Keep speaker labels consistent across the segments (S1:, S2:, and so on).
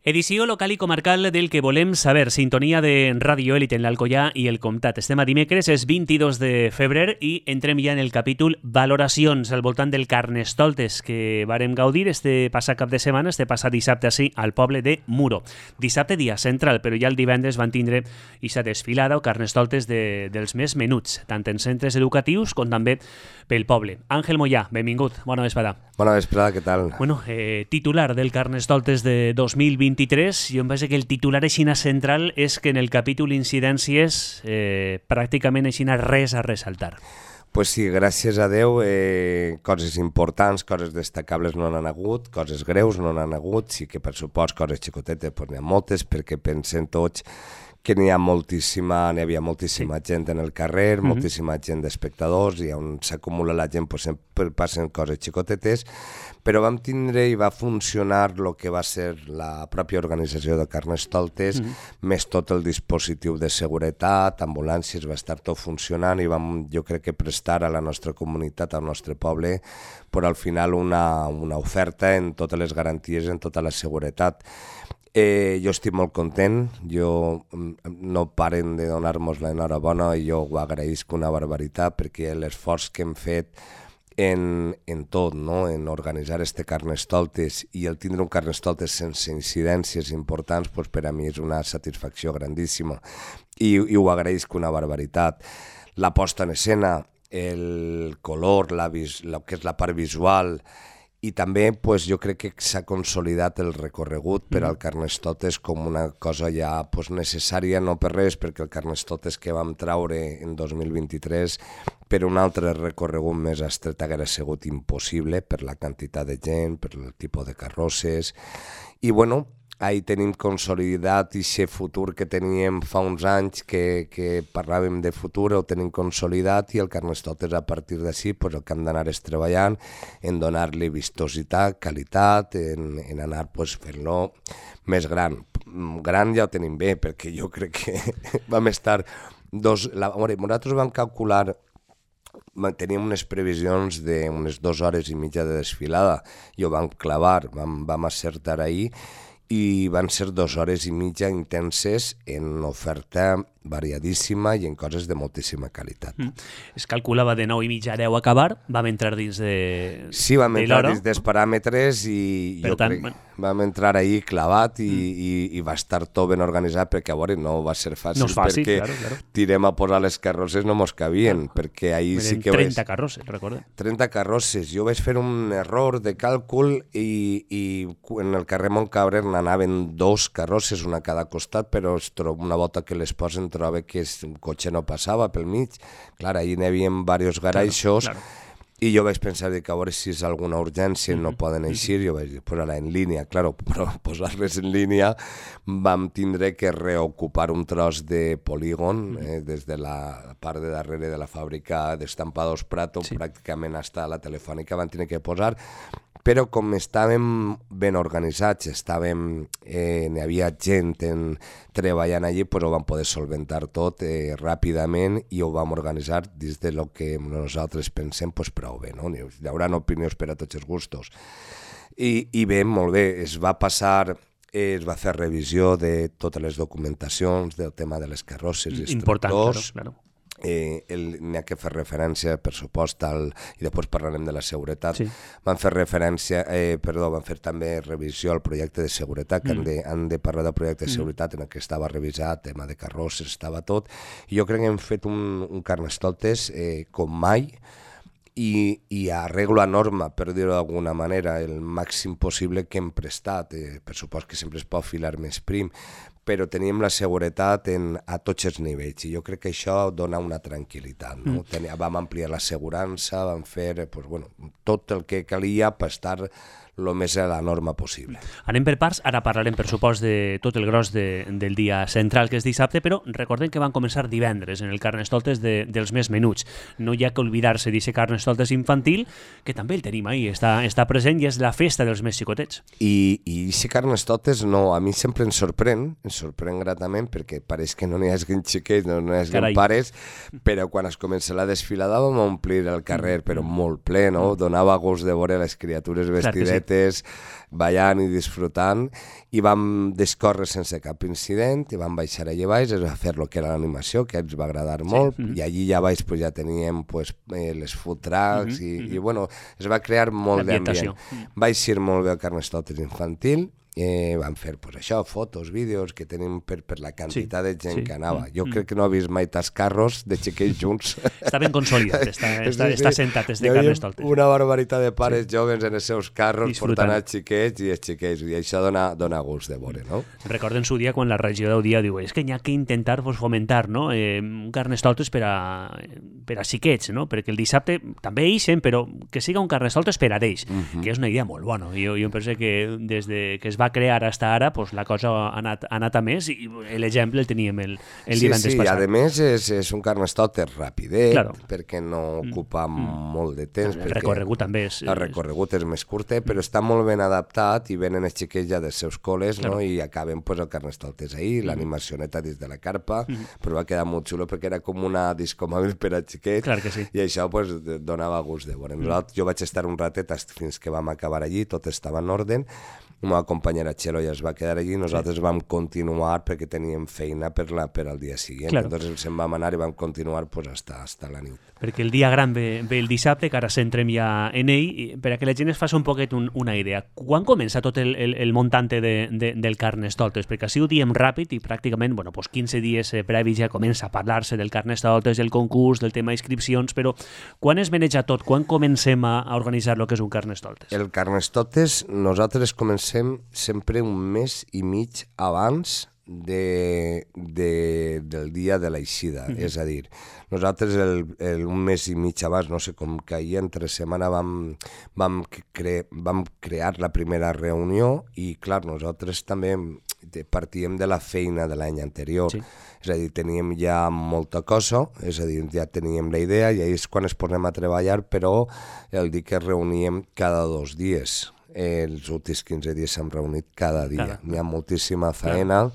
S1: Edició local i comarcal del que volem saber. Sintonia de Ràdio Èlite en l'Alcoià i el Comtat. Estem a dimecres, és 22 de febrer i entrem ja en el capítol valoracions al voltant del Carnestoltes que vàrem gaudir este passat cap de setmana, este passat dissabte així, al poble de Muro. Dissabte dia central, però ja el divendres van tindre aquesta desfilada o Carnestoltes dels més menuts, tant en centres educatius com també pel poble. Àngel Mollà, benvingut, bona vesprada.
S2: Bona vesprada, què tal?
S1: Bueno, titular del Carnestoltes de 2023, jo em vaig que el titular aixina central és que en el capítol incidències pràcticament aixina res a ressaltar.
S2: Pues sí, gràcies a Déu, coses importants, coses destacables no n'han hagut, coses greus no n'han hagut, sí que per supost coses xicotetes pues n'hi ha moltes, perquè pensem tots que n'hi havia moltíssima gent en el carrer, moltíssima gent d'espectadors, i on s'acumula la gent pues, sempre passen coses xicotetes, però vam tindre i va funcionar el que va ser la pròpia organització de Carnestoltes, més tot el dispositiu de seguretat, ambulàncies, va estar tot funcionant i vam, jo crec que prestar a la nostra comunitat, al nostre poble, però al final una oferta en totes les garanties, en tota la seguretat. Jo estic molt content, no paren de donar-nos l'enhorabona i jo ho agraïsc una barbaritat perquè l'esforç que hem fet en tot, no? En organitzar este Carnestoltes i el tindre un Carnestoltes sense incidències importants, pues per a mi és una satisfacció grandíssima i ho agraïsc una barbaritat. La posta en escena, el color, el que és la part visual, i també pues, jo crec que s'ha consolidat el recorregut per al Carnestoltes com una cosa ja pues, necessària, no per res, perquè el Carnestoltes que vam traure en 2023 per un altre recorregut més estret haguera sigut impossible per la quantitat de gent, per el tipus de carrosses, i bueno, ahí tenim consolidat aquest futur que teníem fa uns anys que parlàvem de futur, ho tenim consolidat i el Carnestoltes a partir d'ací pues, el que hem d'anar és treballant en donar-li vistositat, qualitat, en anar pues, fent-lo més gran. Gran ja ho tenim bé, perquè jo crec que vam estar nosaltres vam calcular, teníem unes previsions d'unes 2 hores i mitja de desfilada i ho vam clavar, vam acertar ahir, i van ser 2 hores i mitja intenses en oferta variadíssima i en coses de moltíssima qualitat.
S1: Es calculava de 9 i mitja a 10 a acabar, vam entrar dins de
S2: Sí, vam entrar dins dels paràmetres i jo crec que vam entrar ahir clavat i va estar tot ben organitzat perquè a veure no va ser fàcil, perquè
S1: claro.
S2: tirem a posar les carrosses no mos cabien, perquè ahir sí que
S1: 30 carrosses, recorda.
S2: 30 carrosses. Jo vaig fer un error de càlcul i en el carrer Montcabre n'anaven 2 carrosses, una a cada costat, però una volta que les posen trobo que un cotxe no passava pel mig. Clar, ahir n'hi havia diversos garaixos, i jo vaig pensar que a veure si és alguna urgència, no poden eixir, jo vaig posar-la en línia. Clar, però posar-les en línia vam tindre que reocupar un tros de polígon des de la part de darrere de la fàbrica d'Estampados Prato, pràcticament fins a la Telefònica van tenir que posar, però com estàvem ben organitzats, n'hi havia gent treballant allí, doncs ho vam poder solventar tot ràpidament i ho vam organitzar dins de lo que nosaltres pensem prou bé, no? Hi haurà opinions per a tots els gustos. I bé, molt bé, es va fer revisió de totes les documentacions del tema de les carrosses i instructors.
S1: Important, claro.
S2: N'hi ha que fer referència, per supost, i després parlarem de la seguretat. Van fer també revisió al projecte de seguretat, que han de parlar del projecte de seguretat en el que estava revisat, tema de carrosses, estava tot. I jo crec que hem fet un Carnestoltes com mai, i arreglo a norma, per dir-ho d'alguna manera, el màxim possible que hem prestat. Per supost que sempre es pot filar més prim, però teníem la seguretat a tots els nivells i jo crec que això dona una tranquil·litat. No? Vam ampliar l'assegurança, vam fer tot el que calia per estar el més a la norma possible.
S1: Anem per parts, ara parlarem per supost de tot el gros del dia central que és dissabte, però recordem que van començar divendres en el Carnestoltes dels més menuts. No hi ha que oblidar-se d'aquest Carnestoltes infantil, que també el tenim ahí, està present i és la festa dels més xicotets.
S2: I aquest Carnestoltes a mi sempre em sorprèn gratament, perquè pareix que no n'hi hagi xiquets, no n'hi hagi pares, però quan es comença la desfilada vam omplir el carrer, però molt ple, no? Donava gust de veure les criatures vestidets xicotetes, ballant i disfrutant, i vam descórrer sense cap incident, i vam baixar allà baix, es va fer el que era l'animació, que ens va agradar molt, i allí ja baix pues, ja teníem pues, les food trucks, i bueno, es va crear molt d'ambient. Va eixir molt bé el Carnestoltes infantil, vam fer pues, això, fotos, vídeos que tenim per la quantitat de gent que anava. Jo crec que no he vist mai tants carros de xiquets junts.
S1: Està ben consolidat, està sentat des de Carnestoltes.
S2: Una barbaritat de pares joves en els seus carros portant els xiquets i els xiquets, i això dona gust de veure, no?
S1: Recorden su dia quan la regió d'Audia diu és que hi ha que intentar fomentar, no? Un Carnestoltes per a xiquets, no? Perquè el dissabte també ixen, però que siga un Carnestoltes per a ells, que és una idea molt bona. Jo penso que des que es va crear fins ara, pues, la cosa ha anat a més, i l'exemple el teníem el divendres passat.
S2: Sí, a més és un Carnestoltes ràpidet, perquè no ocupa molt de temps.
S1: El recorregut també és...
S2: El recorregut és més curtet, però està molt ben adaptat, i venen els xiquets ja dels seus col·les, no? I acaben pues, el Carnestoltes ahir, l'animacioneta dins de la carpa, però va quedar molt xulo perquè era com una disco mòbil per a xiquets, i això pues, donava gust de veure. Jo vaig estar un ratet fins que vam acabar allí, tot estava en ordre. La meva companyera Txelo ja es va quedar allí, nosaltres vam continuar perquè teníem feina per al dia següent. Entonces se'n vam anar i vam continuar pues, hasta la nit.
S1: Perquè el dia gran ve el dissabte, que ara centrem ja en ell, per a que la gent es faci un poquet una idea. Quan comença tot el muntante del Carnestoltes? Perquè així ho diem ràpid i pràcticament 15 dies previs ja comença a parlar-se del Carnestoltes, del concurs, del tema d'inscripcions, però quan es maneja tot? Quan comencem a organitzar el que és un Carnestoltes?
S2: El Carnestoltes nosaltres comencem sempre un mes i mig abans del dia de l'eixida. És a dir, nosaltres un mes i mig abans, no sé com caia, entre setmana vam crear la primera reunió, i clar, nosaltres també partíem de la feina de l'any anterior. És a dir, teníem ja molta cosa, és a dir, ja teníem la idea, i ahir és quan es posem a treballar, però el dir que reuníem cada 2 dies. Els últims 15 dies s'han reunit cada dia. Hi ha moltíssima feina.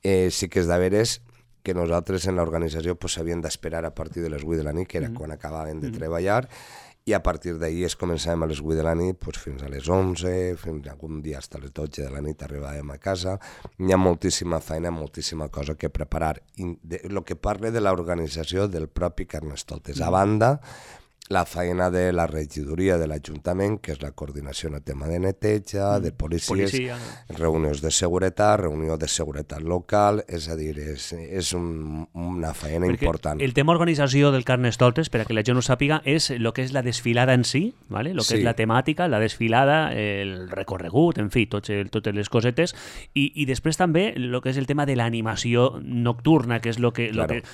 S2: Sí que és de veres que nosaltres en l'organització s'havíem d'esperar a partir de les 8 de la nit, que era quan acabàvem de treballar, i a partir d'ahir començàvem a les 8 de la nit fins a les 11, fins algun dia fins a les 12 de la nit arribàvem a casa. Hi ha moltíssima feina, moltíssima cosa que preparar. El que parla de l'organització del propi Carnestoltes. A banda, la feina de la regidoria de l'Ajuntament, que és la coordinació en el tema de neteja, de policies, reunions de seguretat local, és a dir, és una feina important.
S1: El tema organització del Carnestoltes, per a que la gent ho sàpiga, és el que és la desfilada en si, ¿vale? Lo que és la temàtica, la desfilada, el recorregut, en fi, totes les cosetes, i després també el que és el tema de l'animació nocturna, que és el que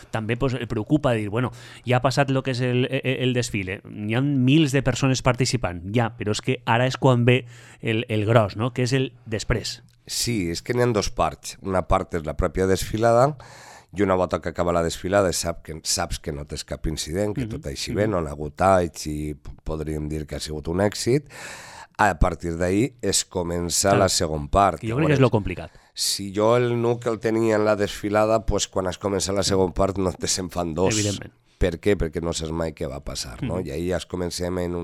S1: també preocupa, dir, bueno, ja ha passat el que és el desfile, hi ha mils de persones participant, però és que ara és quan ve el gros, no? Que és el després.
S2: Sí, és que n'hi ha 2 parts. Una part és la pròpia desfilada, i una volta que acaba la desfilada saps que no tens cap incident, que tot així bé, no n'ha hagut anys, i podríem dir que ha sigut un èxit. A partir d'ahir es comença la segona part.
S1: Jo crec que és lo complicat.
S2: Si jo el nuc el tenia en la desfilada, pues quan es comença la segona part no te se'n fan 2.
S1: Evidentment.
S2: Per què? Perquè no saps mai què va passar, no? I ahir ja comencem en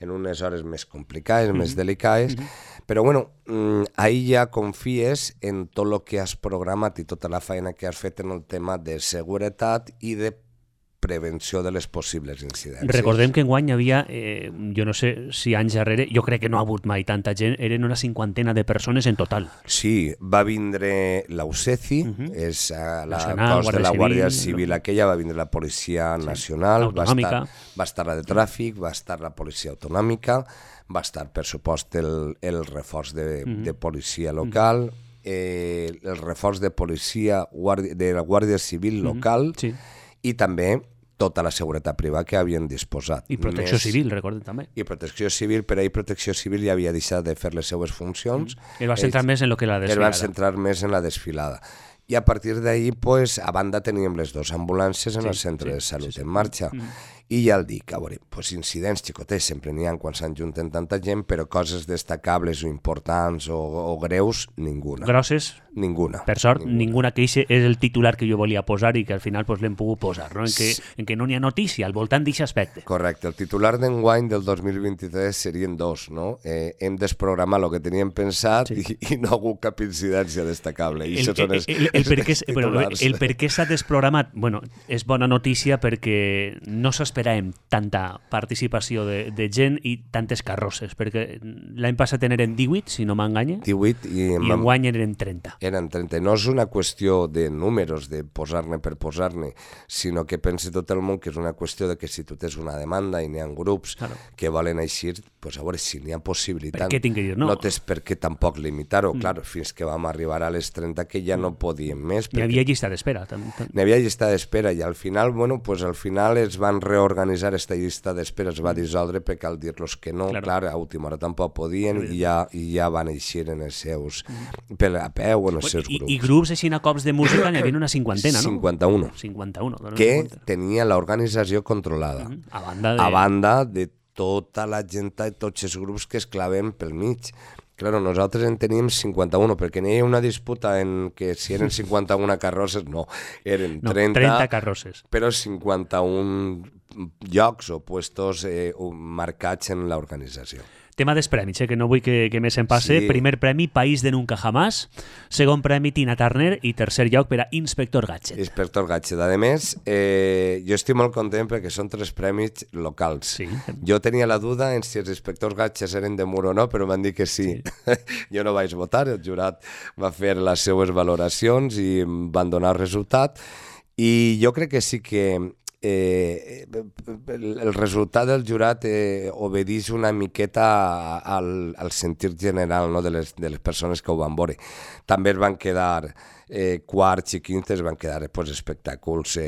S2: unes hores més complicades, més delicades, però bueno, ahir ja confies en tot el que has programat i tota la feina que has fet en el tema de seguretat i de prevenció de les possibles incidències.
S1: Recordem que enguany hi havia, jo no sé si anys darrere, jo crec que no ha hagut mai tanta gent, eren una 50 de persones en total.
S2: Sí, va vindre l'UCECI, és la cos de la Guàrdia Civil aquella, va vindre la Policia Nacional, va estar la de Tràfic, va estar la Policia Autonòmica, va estar, per supost, el reforç de policia local, el reforç de policia de la Guàrdia Civil local, i també tota la seguretat privada que havien disposat.
S1: I protecció civil, recordem també.
S2: I protecció civil, per ahir protecció civil ja havia deixat de fer les seues funcions.
S1: Es va centrar més en lo que la desfilada.
S2: Es va centrar més en la desfilada. I a partir d'ahir, a banda, teníem les 2 ambulàncies en el centre de salut en marxa. I ja el dic, a veure, pues incidents xicotets sempre n'hi ha quan s'ajunten tanta gent, però coses destacables o importants o greus, ninguna.
S1: Grosses?
S2: Ninguna.
S1: Per sort, ninguna que eixe és el titular que jo volia posar i que al final pues, l'hem pogut posar, no? En què no n'hi ha notícia al voltant d'aquest aspecte.
S2: Correcte. El titular d'enguany del 2023 serien dos, no? Hem desprogramar el que teníem pensat i no ha hagut cap incidència destacable. I
S1: el per què s'ha desprogramat, bueno, és bona notícia perquè no s'esperàvem tanta participació de gent i tantes carrosses, perquè l'any passat eren 18, si no m'enganya,
S2: 18
S1: i enguany eren 30.
S2: Eren 30. No és una qüestió de números, de posar-ne per posar-ne, sinó que pensi tot el món que és una qüestió de que si tu tens una demanda i n'hi ha grups que volen eixir, pues a veure, si n'hi ha possibilitat,
S1: per què tinc que dir no?
S2: No tens per què tampoc limitar-ho. Clar, fins que vam arribar a les 30 que ja no podíem més.
S1: N'hi havia llista d'espera.
S2: N'hi havia llista d'espera i al final, bueno, pues al final es van reorganitzar aquesta llista d'espera, es va dissoldre perquè al dir-los que no, clar, a última hora tampoc podien i ja van eixir en els seus a peu.
S1: I grups així a cops de música n'hi havia una cinquantena, no?
S2: 51. Que tenia l'organització controlada. A banda de tota la gent i tots els grups que es claven pel mig. Claro, nosaltres en teníem 51, perquè n'hi havia una disputa en que si eren 51 carrosses, no, eren 30
S1: carrosses.
S2: Però 51 llocs o puestos marcats en l'organització.
S1: Tema dels premis, que no vull que més em passe. Sí. Primer premi, País de Nunca Jamás. Segon premi, Tina Turner. I tercer lloc per a Inspector Gadget.
S2: Inspector Gadget. A més, jo estic molt content perquè són 3 premis locals. Sí. Jo tenia la duda en si els Inspectors Gadgets eren de Mur o no, però van dir que sí. Jo no vaig votar, el jurat va fer les seues valoracions i van donar el resultat. I jo crec que sí que el resultat del jurat obedeix una miqueta al sentir general, no, de les persones que ho van veure. També es van quedar quarts i quintes, van quedar espectacles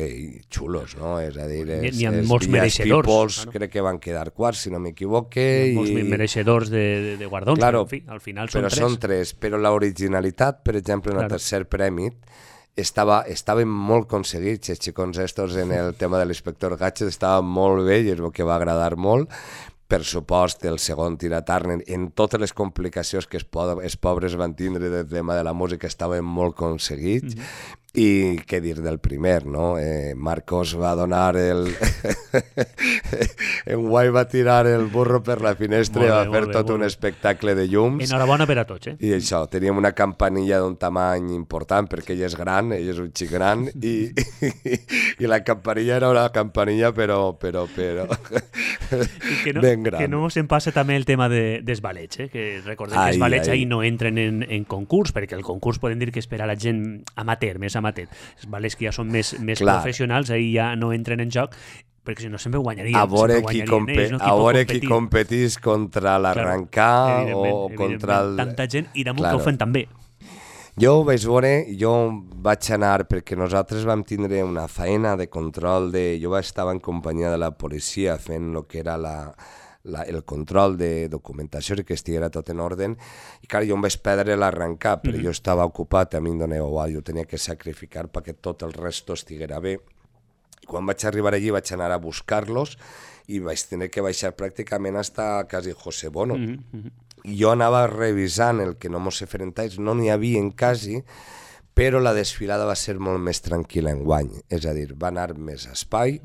S2: xulos, no? És a dir,
S1: n'hi ha molts mereixedors.
S2: Crec que van quedar quarts, si no m'equivoque.
S1: Molts mereixedors de guardons,
S2: claro,
S1: però en fi, al final
S2: són 3. Però són 3, però l'originalitat, per exemple, en el tercer premi, estaven molt aconseguits, els xicons estos en el tema de l'Inspector Gadget estaven molt bé i és el que va agradar molt. Per supost, el segon, Tina Turner, en totes les complicacions que els pobres van tindre del tema de la música, estaven molt aconseguits. I què dir del primer, no? Marcos va donar en Guai va tirar el burro per la finestra i va fer tot un espectacle de llums.
S1: Enhorabona per a tots,
S2: I això, teníem una campanilla d'un tamany important perquè ell és gran, ell és un xic gran i la campanilla era una campanilla però ben gran.
S1: Que no se'n passa també el tema dels balets, que recordem que els balets ahir no entren en concurs, perquè el concurs podem dir que és per a la gent amateur, més amateur. Els balets que ja són més professionals, ahir ja no entren en joc, perquè si no sempre guanyarien.
S2: A veure qui competís contra l'arrencar o contra el...
S1: Tanta gent i damunt que ho fan també.
S2: Jo ho vaig veure, jo vaig anar perquè nosaltres vam tindre una feina de control jo estava en companyia de la policia fent el que era el control de documentació i que estiguera tot en ordre i clar, jo em vaig perdre l'arrencar però jo estava ocupat, a mi em donava igual, jo tenia que sacrificar perquè tot el resto estiguera bé. Quan vaig arribar allí vaig anar a buscar-los i vaig tenir que baixar pràcticament hasta quasi José Bono. I jo anava revisant el que no mos feren talls, no n'hi havia quasi, però la desfilada va ser molt més tranquil·la enguany, és a dir, va anar més espai,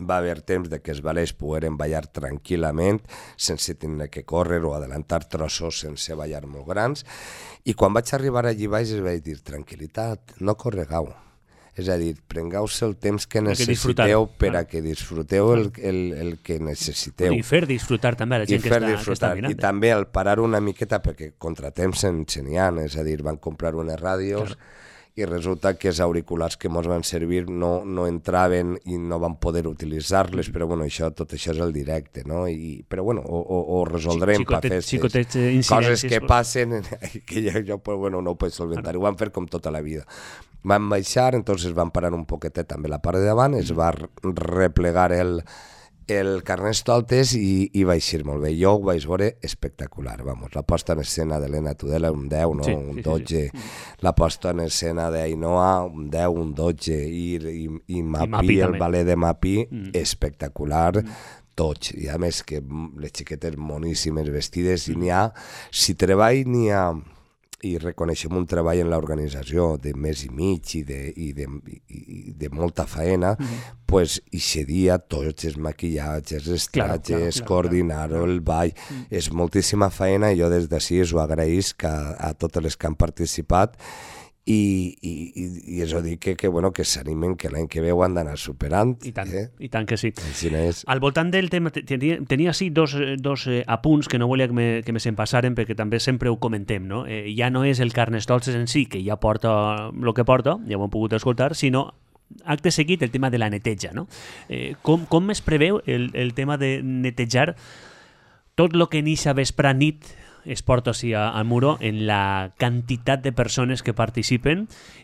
S2: va haver temps de que els balets pogueren ballar tranquil·lament sense tenir que córrer o adelantar trossos sense ballar molt grans i quan vaig arribar allí baix es vaig dir tranquil·litat, no corregau, és a dir, prengueu-se el temps que necessiteu per a que disfruteu el que necessiteu
S1: i fer disfrutar també a la gent que està mirant
S2: i també al parar una miqueta perquè contratemps n'hi ha, és a dir, van comprar unes ràdios i resulta que els auriculars que ens van servir no entraven i no van poder utilitzar-les, però bueno, tot això és el directe, no? Però bueno, ho resoldrem per festes. Coses que passen que jo no ho puc solventar, ho van fer com tota la vida. Van baixar, entonces van parar un poquetet també la part de davant, es va replegar el Carnestoltes i va eixir molt bé. Jo ho vaig veure espectacular, vamos. La posta en escena de l'Helena Tudela, un 10, no? Un 12. La posta en escena d'Ainoa, un 10, un 12. I Mapi, el ballet de Mapi, espectacular. Tots. I a més que les xiquetes moníssimes vestides, i n'hi ha, si treball n'hi ha, i reconeixem un treball en l'organització de mes i mig i de molta faena, pues ixe dia tots els maquillatges, els trajes, coordinar-ho, el ball, és moltíssima faena i jo des d'ací us ho agraïsc a totes les que han participat i és a dir que s'animen, que l'any que ve ho han d'anar superant.
S1: I tant que sí.
S2: És.
S1: Al voltant del tema, tenia sí dos apunts que no volia que me se'n passaren perquè també sempre ho comentem, no? Ja no és el Carnestoltes en si, que ja porta el que porta, ja ho hem pogut escoltar, sinó acte seguit el tema de la neteja, no? Com es preveu el tema de netejar tot el que en eixa vespre nit es porta així al muro en la quantitat de persones que participen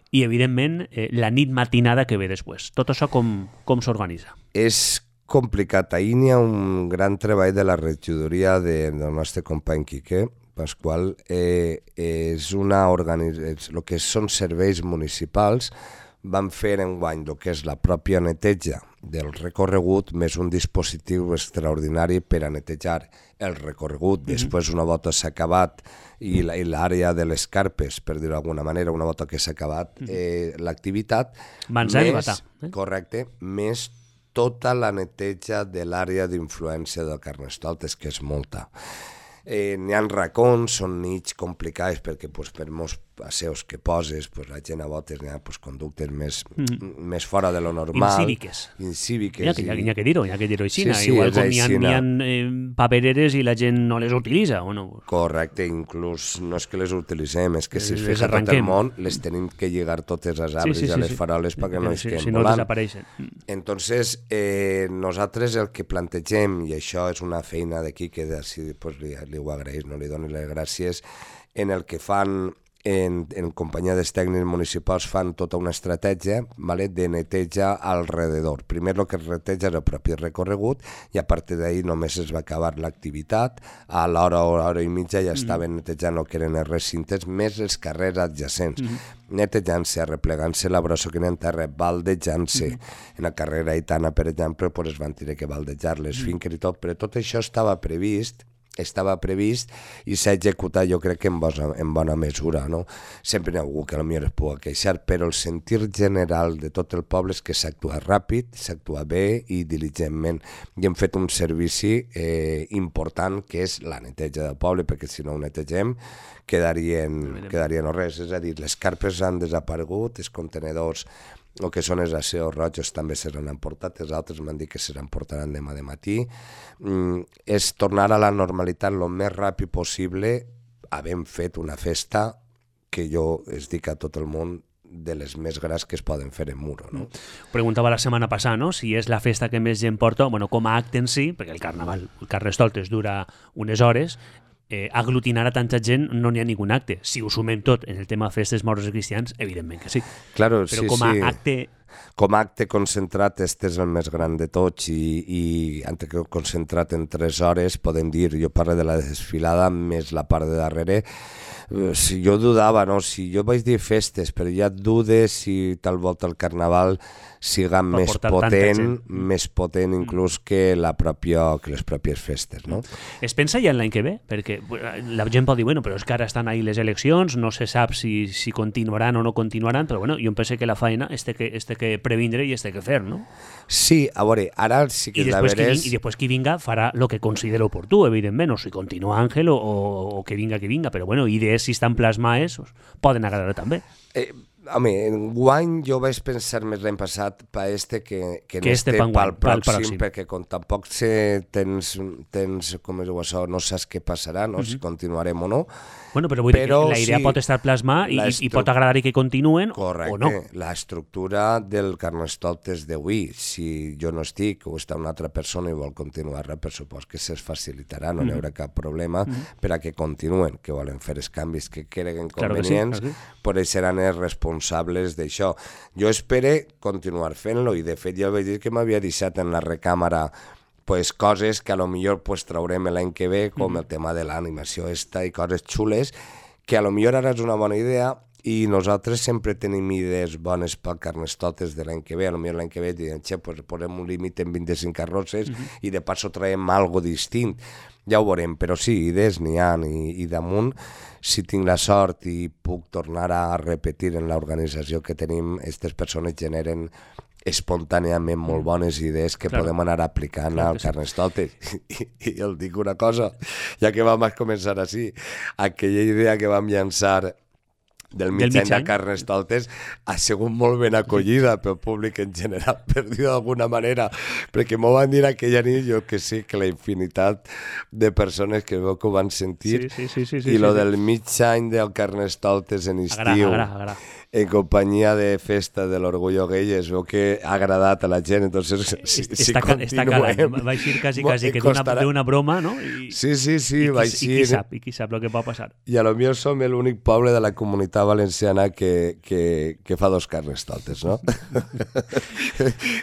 S1: i, evidentment, la nit matinada que ve després. Tot això com s'organitza?
S2: És complicat. Ahir n'hi ha un gran treball de la regidoria del nostre company Quique Pasqual. És una organització, el que són serveis municipals, van fer enguany el que és la pròpia neteja del recorregut més un dispositiu extraordinari per a netejar el recorregut. Després, una volta s'ha acabat i l'àrea de les carpes, per dir-ho d'alguna manera, una volta que s'ha acabat l'activitat, correcte, més tota la neteja de l'àrea d'influència del Carnestoltes, que és molta. N'hi ha racons, són nits complicats perquè per molts passeus que poses, la gent a voltes n'hi ha conductes més fora de lo normal. Incíviques.
S1: N'hi ha que dir-ho així. Igual com n'hi ha papereres i la gent no les utilitza, o no?
S2: Correcte, inclús no és que les utilitzem, és que si es fixa tot el món, les tenim que lligar totes les arbres i a les faroles perquè no es queden volant.
S1: Si no desapareixen.
S2: Entonces, nosaltres el que plantegem, i això és una feina d'aquí que li ho agraeix, no li doni les gràcies, en el que fan en companyia dels tècnics municipals fan tota una estratègia de neteja alrededor. Primer el que es neteja és el propi recorregut i a partir d'ahir només es va acabar l'activitat. A l'hora o hora i mitja ja estaven netejant el que eren els recintes més els carrers adjacents. Netejant-se, arreplegant-se la brossa que n'hi ha en terra, baldejant-se. En la carrera Aitana, per exemple, es van tenir que baldejar les finques i tot, però tot això estava previst i s'ha executat, jo crec que en bona mesura, no? Sempre n'hi ha algú que potser es pugui queixar, però el sentir general de tot el poble és que s'actua ràpid, s'actua bé i diligentment. I hem fet un servici important que és la neteja del poble, perquè si no ho netegem quedaria no res. És a dir, les carpes han desaparegut, els contenedors, el que són els asseos rojos també seran emportats, els altres m'han dit que seran portaran demà de matí. És tornar a la normalitat el més ràpid possible, havent fet una festa que jo es dic a tot el món de les més grans que es poden fer en muro. No?
S1: Preguntava la setmana passada, no? Si és la festa que més gent porta, com a acte en si, perquè el carnaval, el Carnestoltes dura unes hores, aglutinar a tanta gent no n'hi ha ningun acte. Si ho sumem tot en el tema festes moros i cristians, evidentment que sí.
S2: Claro,
S1: però com a acte...
S2: Com a acte concentrat, este és el més gran de tots i acte concentrat en 3 hores, podem dir, jo parlo de la desfilada més la part de darrere. Si jo dudava, no? Si jo vaig dir festes, però ja dudes si tal volta el carnaval siga més potent inclús que les pròpies festes, no?
S1: Es pensa ja en l'any que ve? Perquè la gent pot dir, bueno, però és que ara estan ahí les eleccions, no se sap si continuaran o no continuaran, però bueno, jo em penso que la feina este que previndre i este que fer, no?
S2: Sí, a veure, ara sí que la veres...
S1: I després qui vinga farà el que considera oportú, evidentment, o si continua Àngel o que vinga, però bueno, idees si estan plasmades poden agradar també.
S2: Home, enguany jo vaig pensar més l'any passat per que pel pròxim, perquè com tampoc tens com es diu això, no saps què passarà, no? Si continuarem o no.
S1: Bueno, però vull dir que la idea pot estar plasmada i pot agradar que continuen o no.
S2: Correcte, l'estructura del Carnestoltes d'avui, si jo no estic o està una altra persona i vol continuar-la, per supost que se'ls facilitarà, no hi haurà cap problema per a que continuen, que volen fer els canvis que creguen convenients, però ells seran els responsables d'això. Jo espero continuar fent-lo i de fet jo vaig dir que m'havia deixat en la recàmera pues, coses que a lo millor pues, traurem l'any que ve, com el tema de l'animació i coses xules, que a lo millor ara és una bona idea i nosaltres sempre tenim idees bones pel Carnestoltes de l'any que ve. A lo millor l'any que ve diem, pues, posem un límit en 25 carrosses i de passo traiem algo distint. Ja ho veurem, però sí, idees n'hi ha i damunt, si tinc la sort i puc tornar a repetir en l'organització que tenim, aquestes persones generen espontàniament molt bones idees que podem anar aplicant al Carnestoltes. I el dic una cosa, ja que vam començar així, aquella idea que vam llançar del mig any de Carnestoltes ha sigut molt ben acollida pel públic en general, per dir d'alguna manera, perquè m'ho van dir aquella nit, jo que sé que la infinitat de persones que veu que ho van sentir, i lo del mig any del Carnestoltes en estiu, en companyia de Festa de l'Orgullo Gay, es veu que ha agradat a la gent, entonces si continuem...
S1: Va eixir quasi que d'una broma, no?
S2: Sí, va eixir...
S1: I qui sap el que pot passar.
S2: I a lo millor som l'únic poble de la comunitat valenciana que fa dos Carnestoltes, no?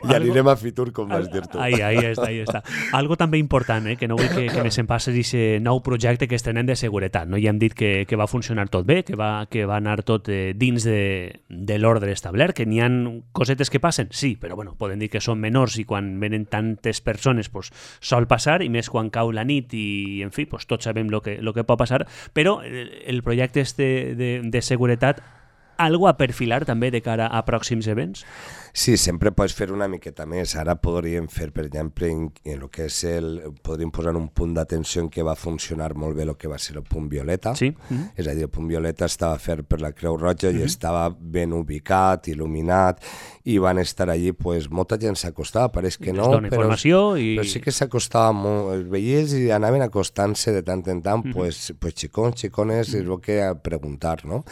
S2: I anirem a Fitur, com vas dir tu.
S1: Ahí està. Algo també important, que no vull que me se'n passi aquest nou projecte que estrenem de seguretat, no? Ja hem dit que va funcionar tot bé, que va anar tot dins de l'ordre establert, que n'hi ha cosetes que passen, sí, però bueno, podem dir que són menors i quan venen tantes persones pues, sol passar, i més quan cau la nit i, en fi, pues, tots sabem lo que pot passar, però el projecte de seguretat, algo a perfilar també de cara a pròxims events?
S2: Sí, sempre pots fer una miqueta més. Ara podríem fer, per exemple, en el que és podríem posar un punt d'atenció en què va funcionar molt bé el que va ser el punt violeta.
S1: Sí.
S2: És a dir, el punt violeta estava fet per la Creu Roja i estava ben ubicat, il·luminat, i van estar allí, pues, molta gent s'acostava, pareix que no, però sí que s'acostava molt, els veients i anaven acostant-se de tant en tant, pues xicons, xicones, és el que a preguntar, no?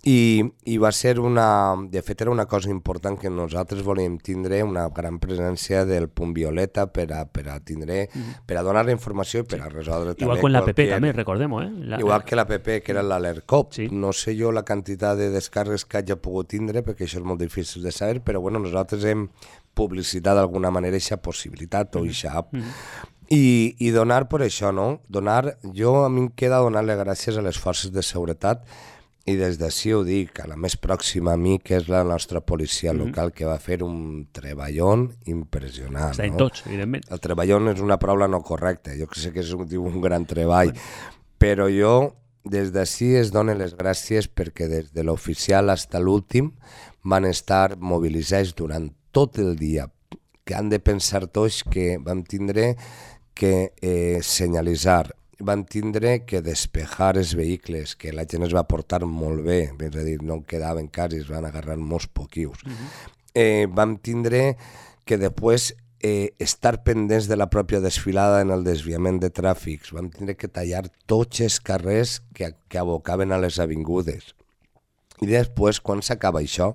S2: I va ser de fet era una cosa important que nosaltres volíem tindre una gran presència del punt violeta per a donar la informació i per a resoldre també
S1: igual com l'APP també, recordem-ho,
S2: igual que l'APP, que era l'AlertCop. No sé jo la quantitat de descàrregues que hagi pogut tindre, perquè això és molt difícil de saber, però bueno, nosaltres hem publicitat d'alguna manera aquesta possibilitat o aquesta app. I donar per això, no? A mi em queda donar-li gràcies a les forces de seguretat. I des d'ací ho dic, a la més pròxima a mi, que és la nostra policia local, que va fer un treballón impressionant.
S1: Està en tots, evidentment.
S2: El treballón és una paraula no correcta, jo sé que és un gran treball, però jo des d'ací es dono les gràcies perquè des de l'oficial fins a l'últim van estar mobilitzats durant tot el dia, que han de pensar tots que vam tindre que senyalitzar, van tindre que despejar els vehicles, que la gent es va portar molt bé, és a dir, no quedaven quasi, es van agarrar molts poquius. Vam tindre que després estar pendents de la pròpia desfilada en el desviament de tràfics, vam tindre que tallar tots els carrers que abocaven a les avingudes. I després, quan s'acaba això,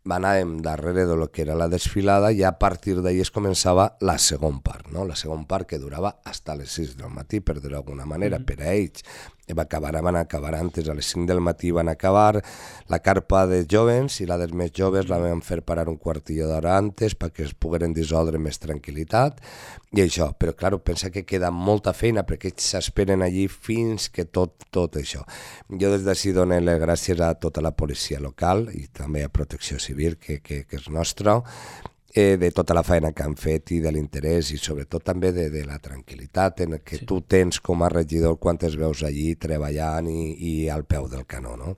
S2: anàvem darrere de lo que era la desfilada i a partir d'ahí es començava la segona part, no? La segona part que durava fins a les 6 del matí, per dir d'alguna manera, per a ells. Van acabar antes, a les 5 del matí van acabar la carpa de jovens i la dels més joves la vam fer parar un quartillo d'hora antes perquè es pogueren dissoldre més tranquil·litat i això, però clar, pensa que queda molta feina perquè ells s'esperen allí fins que tot això. Jo des d'ací dono les gràcies a tota la policia local i també a Protecció Civil, que és nostra, de tota la feina que han fet i de l'interès i sobretot també de la tranquil·litat en que tu tens com a regidor quan es veus allí treballant i al peu del canó, no?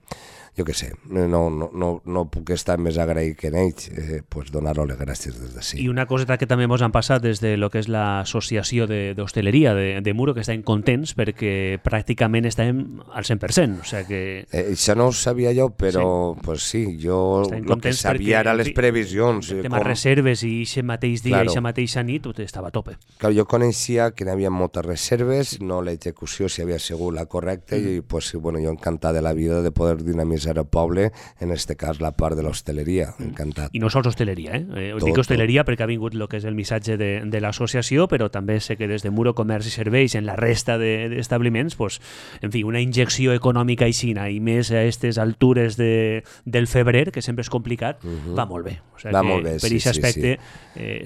S2: Jo què sé, no puc estar més agraït que en ells, pues donar-los les gràcies des d'ací.
S1: I una coseta que també ens han passat des de lo que és l'associació d'hostaleria de Muro, que estem contents perquè pràcticament estem al 100%, o sigui que...
S2: Això no ho sabia jo, però pues sí, jo el que sabia era les previsions.
S1: El tema reserves i aquest mateix dia i aquesta mateixa nit tot estava a tope.
S2: Jo coneixia que hi havia moltes reserves, no l'execució si havia sigut la correcta i pues, bueno, jo encantat de la vida de poder dinamitzar al poble, en este cas la part de l'hostaleria, encantat.
S1: I no sols hostaleria, dic hostaleria perquè ha vingut el que és el missatge de l'associació, però també sé que des de Muro Comerç i Serveis en la resta d'establiments, pues, en fi, una injecció econòmica aixina i més a aquestes altures del febrer, que sempre és complicat, va molt bé. O sigui
S2: va
S1: que
S2: molt bé,
S1: per aquest aspecte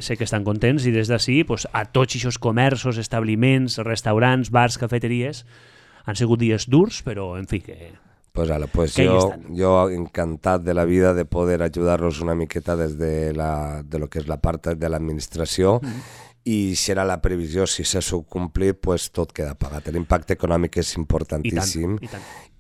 S1: sé que estan contents i des d'ací pues, a tots aquests comerços, establiments, restaurants, bars, cafeteries, han sigut dies durs, però en fi que...
S2: Pues yo encantado de la vida de poder ayudarlos una miqueta de lo que es la parte de la administració i si era la previsió, si s'ha complit, pues tot queda pagat. L'impacte econòmic és importantíssim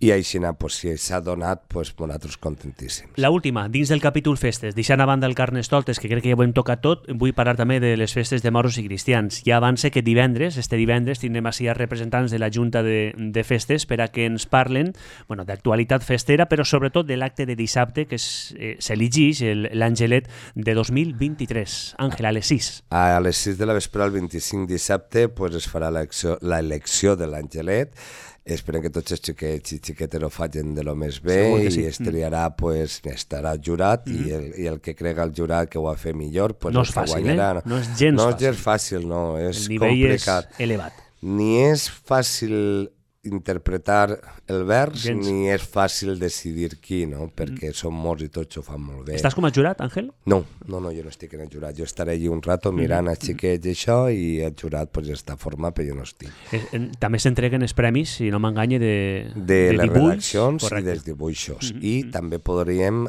S2: i així, pues, si s'ha donat, pues, nosaltres contentíssims.
S1: La última, dins del capítol festes, deixant a banda el Carnestoltes, que crec que ja ho hem tocat tot, vull parlar també de les festes de moros i cristians. Ja avance que este divendres, tindrem així a representants de la Junta de Festes per a que ens parlen d'actualitat festera, però sobretot de l'acte de dissabte que s'elegeix l'Angelet de 2023. Àngel, a les 6.
S2: A les 6 de la vespre, el 25 dissabte, pues, es farà l'elecció de l'Angelet. Esperem que tots els xiquets i xiquetes ho facin de lo més bé i es triarà, pues, estarà el jurat i el que crega el jurat que ho ha fet millor, pues,
S1: no és fàcil, guanyarà. No és gens fàcil.
S2: No és gens fàcil, no, és
S1: el nivell
S2: complicat.
S1: És elevat.
S2: Ni és fàcil interpretar el vers, ni és fàcil decidir qui, no? Perquè són molts i tots ho fan molt bé.
S1: Estàs com a jurat, Àngel?
S2: No, jo no estic en el jurat. Jo estaré allí un rato mirant els xiquets i això, i el jurat pues, està format, però jo no estic.
S1: També s'entreguen els premis, si no m'enganye,
S2: de les redaccions i dels dibuixos. I també podríem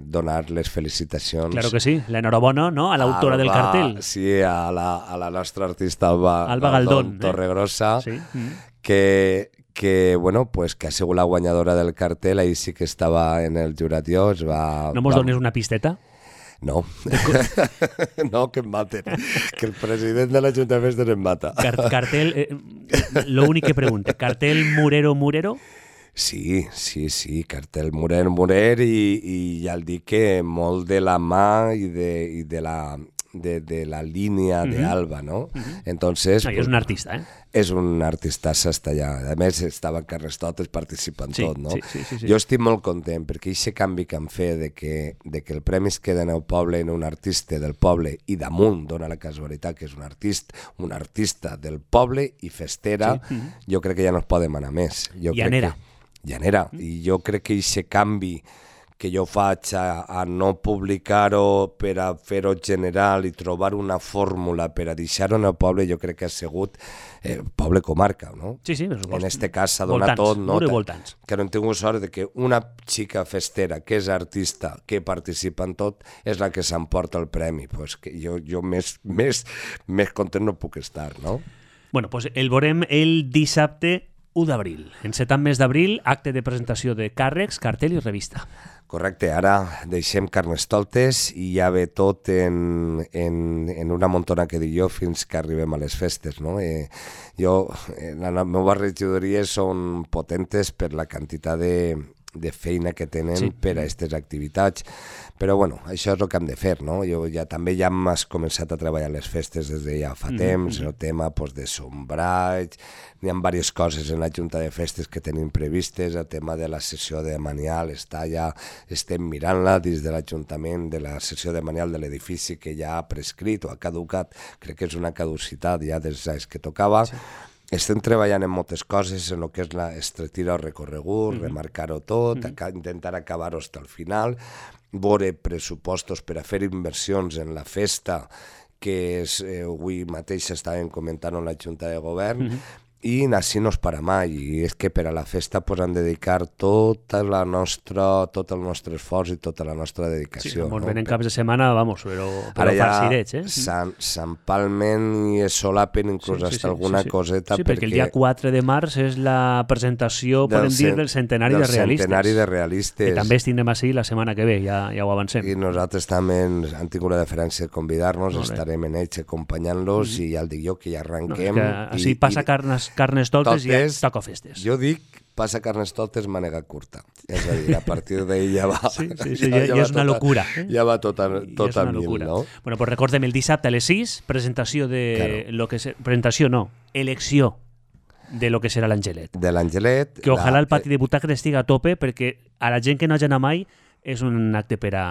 S2: donar les felicitacions.
S1: Claro que sí, l'enhorabona, no?, a l'autora del cartel.
S2: Sí, a la nostra artista Alba
S1: Galdón,
S2: Torregrossa, que bueno, pues que ha sigut la guanyadora del cartel, ahí sí que estava en el jurat jo.
S1: No mos dones una pisteta?
S2: No, no, que em maten, que el president de la Junta de Festes em mata.
S1: Cartel, lo únic que pregunte, cartel Murero?
S2: Sí, cartel Murer i ja el dic que molt de la mà i de la línia d'Alba, ¿no? Entonces...
S1: No, és un artista,
S2: És un artista hasta allà. A més, estava en Carnestoltes participant tot, no?
S1: Sí.
S2: Jo estic molt content perquè aquest canvi que han fet de que el premi es queda en el poble en un artista del poble i damunt dona la casualitat que és un artista del poble i festera, jo crec que ja no es pot demanar més.
S1: Llanera.
S2: I jo crec que aquest canvi que jo faig a no publicar-ho per a fer-ho general i trobar una fórmula per a deixar-ho en el poble, jo crec que ha sigut poble comarca, no?
S1: Sí,
S2: en este cas s'ha donat tot, no? Que no hem tingut sort de que una xica festera que és artista, que participa en tot, és la que s'emporta el premi. Pues que jo més content no puc estar, no?
S1: Bueno, pues el veurem el dissabte 1 d'abril. Encetant mes d'abril, acte de presentació de càrrecs, cartell i revista.
S2: Correcte, ara deixem Carnestoltes i ja ve tot en una montona que dic jo fins que arribem a les festes, no? La meva regidoria són potentes per la quantitat de feina que tenen per a aquestes activitats. Però bueno, això és el que hem de fer, no? Jo també ja hem començat a treballar les festes des de ja fa temps, el tema de sombraig, n'hi ha diverses coses en la Junta de Festes que tenim previstes, el tema de la sessió de manial estem mirant-la des de l'Ajuntament, de la sessió de manial de l'edifici que ja ha prescrit o ha caducat, crec que és una caducitat ja dels anys que tocava. Estem treballant en moltes coses, en el que és estretirar el recorregut, remarcar-ho tot, intentar acabar-ho fins al final, veure pressupostos per a fer inversions en la festa, que avui mateix estàvem comentant en la Junta de Govern, i així no es para mai, i és que per a la festa han de dedicar tot el nostre esforç i tota la nostra dedicació.
S1: Sí, ens venen caps de setmana, però farcirets,
S2: s'empalmen i es solapen inclús hasta alguna coseta.
S1: Sí, perquè el dia 4 de març és la presentació, podem dir, del centenari de Realistes.
S2: Del centenari de Realistes.
S1: Que també tindrem així la setmana que ve, ja ho avancem.
S2: I nosaltres també han tingut la deferència de convidar-nos, estarem en ells acompanyant-los i ja el dic jo que ja arranquem.
S1: Així passa Carnestoltes i ja toca festes.
S2: Jo dic, passa Carnestoltes mànega curta. És a dir, a partir d'ahir ja va...
S1: Sí, ja és una locura.
S2: Ja va tot a mil, no?
S1: Bueno, pues recordem el dissabte a les 6, presentació de... Presentació no, elecció de lo que serà l'Angelet.
S2: De l'Angelet.
S1: Que ojalà el pati de butaques estigui a tope, perquè a la gent que no hagi anat mai és un acte per a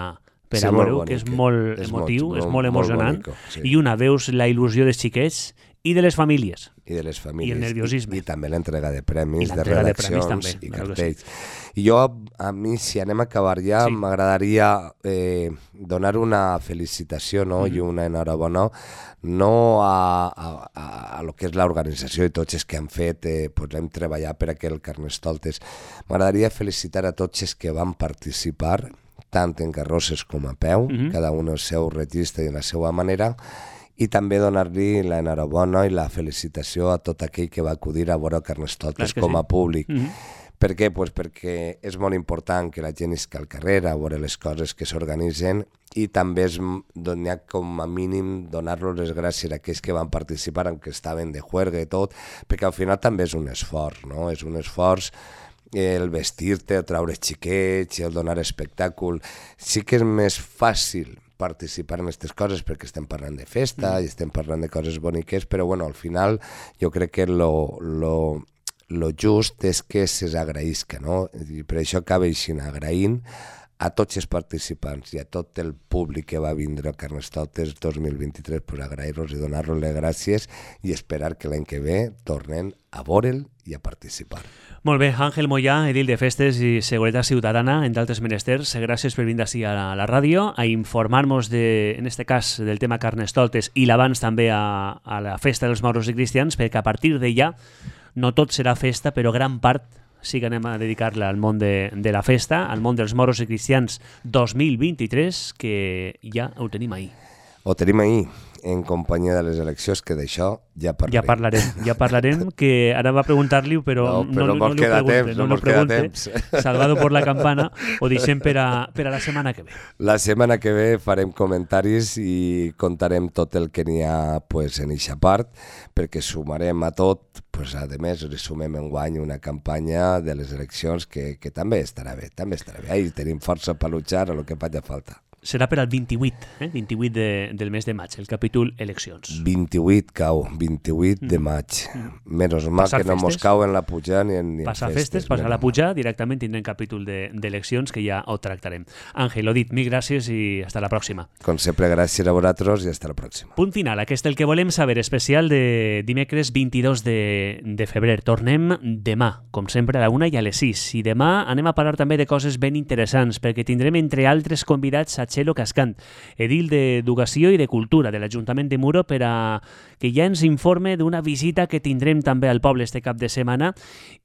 S1: veure-ho, que és molt emotiu, és molt emocionant, i una, veus la il·lusió dels xiquets i de les famílies.
S2: I de les famílies.
S1: I el nerviosisme.
S2: I també l'entrega de premis, de redaccions i cartells. I jo, a mi, si anem a acabar ja, m'agradaria donar una felicitació, no? I una enhorabona, no a lo que és l'organització i tots els que han fet, hem treballat per a que el Carnestoltes. M'agradaria felicitar a tots els que van participar, tant en carrosses com a peu, cada un el seu registre i la seva manera, i també donar-li l'enhorabona i la felicitació a tot aquell que va acudir a veure Carnestoltes com a públic. Per què? Pues perquè és molt important que la gent isca al carrer a veure les coses que s'organitzen, i també n'hi ha com a mínim donar-los les gràcies a aquells que van participar, aunque estaven de juerga i tot, perquè al final també és un esforç, no? És un esforç el vestir-te, el treure xiquets, el donar espectacle. Sí que és més fàcil participar en aquestes coses perquè estem parlant de festa i estem parlant de coses boniques, però bueno, al final jo crec que lo just és que s'agraïsca, no? I per això acaba així, agraint a tots els participants i a tot el públic que va vindre a Carnestoltes 2023, per agrair-los i donar-los les gràcies i esperar que l'any que ve tornen a veure'l i a participar.
S1: Molt bé, Àngel Moyà, edil de Festes i Seguretat Ciutadana, entre altres menesters, gràcies per vindre així a la ràdio, a informar-nos, en este cas, del tema Carnestoltes i l'abans també a la festa dels moros i cristians, perquè a partir d'allà no tot serà festa, però gran part sí que anem a dedicar-la al món de la festa, al món dels moros i cristians 2023, que ja ho tenim ahir.
S2: Ho tenim ahir, en companyia de les eleccions, que d'això ja parlarem.
S1: Ja parlarem, que ara va preguntar-li-ho, però no li pregunte. Salvado por la campana, ho deixem per a la setmana que ve.
S2: La setmana que ve farem comentaris i contarem tot el que n'hi ha en eixa part, perquè sumarem a tot, a més, sumem enguany una campanya de les eleccions que també estarà bé, Ahí tenim força per luchar a lo que faci falta.
S1: Serà per al 28, 28 del mes de maig, el capítol eleccions.
S2: 28 cau, 28 de maig. Menys mal que no mos cau en la puja ni en festes.
S1: Passar festes, passar la puja, directament tindrem capítol d'eleccions que ja ho tractarem. Àngel, ho dit, mil gràcies i hasta la pròxima.
S2: Com sempre, gràcies a vosaltres i hasta la pròxima.
S1: Punt final, aquest el que volem saber, especial de dimecres 22 de febrer. Tornem demà, com sempre, a la 1 i a les 6. I demà anem a parlar també de coses ben interessants, perquè tindrem, entre altres convidats, a Txelo Cascant, edil d'Educació i de Cultura de l'Ajuntament de Muro, per a que ja ens informe d'una visita que tindrem també al poble este cap de setmana,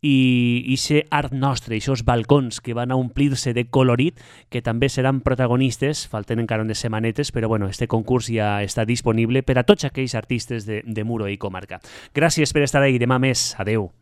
S1: i aquest art nostre, aquests balcons que van a omplir-se de colorit, que també seran protagonistes, falten encara unes setmanetes, però bueno, este concurs ja està disponible per a tots aquells artistes de Muro i comarca. Gràcies per estar ahí, demà més, adeu.